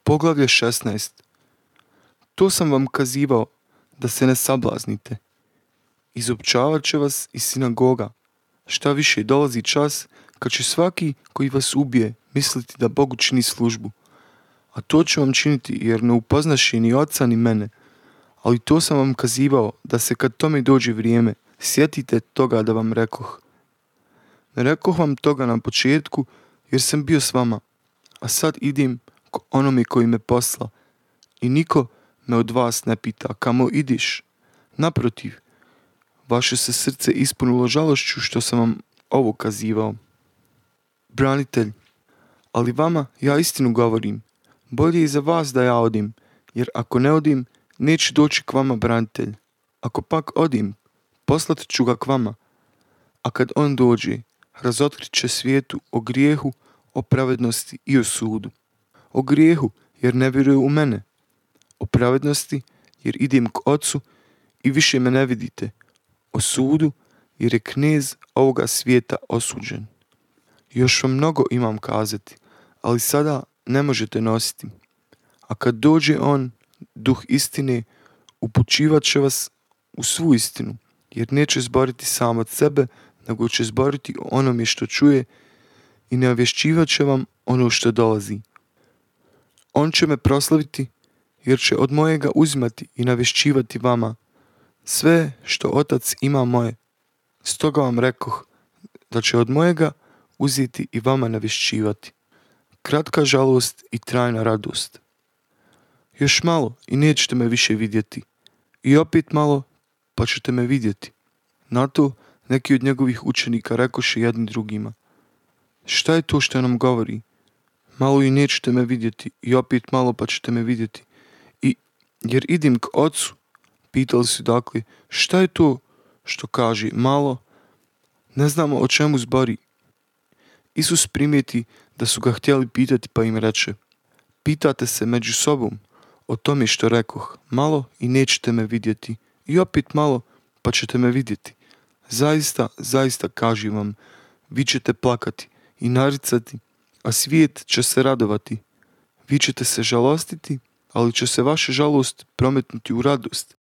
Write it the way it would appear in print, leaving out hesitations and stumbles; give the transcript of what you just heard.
Poglavlje 16. To sam vam kazivao, da se ne sablaznite. Izopćavat će vas iz sinagoga. Šta više, dolazi čas kad će svaki koji vas ubije misliti da Bogu čini službu. A to će vam činiti jer ne upoznaše ni oca ni mene. Ali to sam vam kazivao, da se kad tome dođe vrijeme, sjetite toga da vam rekoh. Ne rekoh vam toga na početku, jer sam bio s vama, a sad idem k onome koji me posla. I niko me od vas ne pita, kamo idiš? Naprotiv, vaše se srce ispunilo žalošću što sam vam ovo kazivao. Branitelj, ali vama ja istinu govorim. Bolje je za vas da ja odim, jer ako ne odim, neće doći k vama branitelj. Ako pak odim, poslat ću ga k vama. A kad on dođe, razotkrit će svijetu o grijehu, o pravednosti i o sudu. O grijehu, jer ne vjeruje u mene. O pravednosti, jer idem k Ocu i više me ne vidite. O sudu, jer je knez ovoga svijeta osuđen. Još vam mnogo imam kazati, ali sada ne možete nositi. A kad dođe on, duh istine, upućivat će vas u svu istinu, jer neće zboriti sam od sebe, nego će zboriti o onome što čuje i navješćivat će vam ono što dolazi. On će me proslaviti, jer će od mojega uzimati i navješćivati vama sve što Otac ima moje. Stoga vam rekoh da će od mojega uzeti i vama navješćivati. Kratka žalost i trajna radost. Još malo i nećete me više vidjeti. I opet malo pa ćete me vidjeti. Na to neki od njegovih učenika rekoše jedni drugima: šta je to što nam govori? Malo i nećete me vidjeti i opet malo pa ćete me vidjeti. Jer idem k Ocu. Pitali su dakle, šta je to što kaže malo? Ne znamo o čemu zbori. Isus primijeti da su ga htjeli pitati pa im reče: pitate se među sobom o tome što rekoh, malo i nećete me vidjeti i opet malo pa ćete me vidjeti. Zaista, zaista kažem vam, vi ćete plakati i naricati, a svijet će se radovati. Vi ćete se žalostiti, ali će se vaša žalost prometnuti u radost.